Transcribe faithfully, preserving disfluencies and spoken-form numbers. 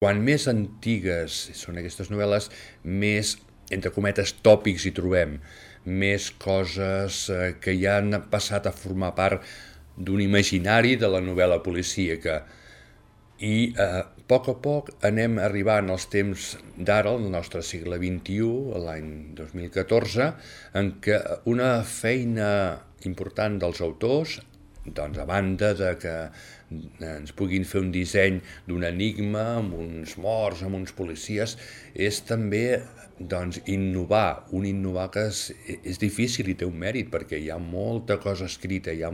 Quan més antigues són aquestes novel·les, més, entre cometes, tòpics hi trobem, més coses eh, que ja han passat a formar part d'un imaginari de la novel·la policíaca. I eh, a poc a poc anem arribant als temps d'ara, el nostre segle vint-i-u, l'any dos mil catorze, en què una feina important dels autors, doncs a banda de que ens puguin fer un disseny d'un enigma amb uns morts, amb uns policies, és també doncs, innovar, un innovar que és, és difícil i té un mèrit perquè hi ha molta cosa escrita, hi ha